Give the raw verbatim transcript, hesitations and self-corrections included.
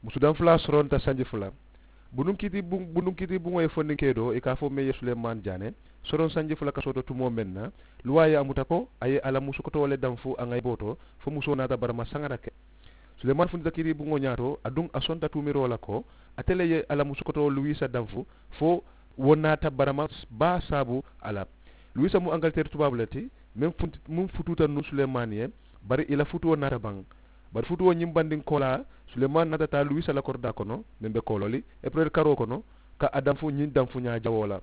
Musu danfulaa soronta sanji fula. Bunduŋ kiitibuŋo ye fondiŋ kee doo i ka a fo meŋ ye suleemaani jaane soroŋ sanji fula kasoo to tumoo meŋ na, luwaa ye a muta ko a ye a la musukotoo le danfu a ŋayiboo to. Fo musoo naata barama saŋa na ke. Suleemaani funtita kiitibuŋo ñaato aduŋ a sonta tuumiroo la ko ate le ye a la musukotoo luwiisa danfu fo wo naata barama baa saabu a la. Luwiisa mu ankaliteri tubaabu le ti meŋ futuuta nuŋ suleemaani ye. Bari i la futuo naata baŋ. Bari futuo ñiŋ bandinkoolaa, suleemaani naata taa luwiisa la koridaa kono meŋ be kooloo li epereri karoo kono ka a danfu ñiŋ danfuñaa jawoo la.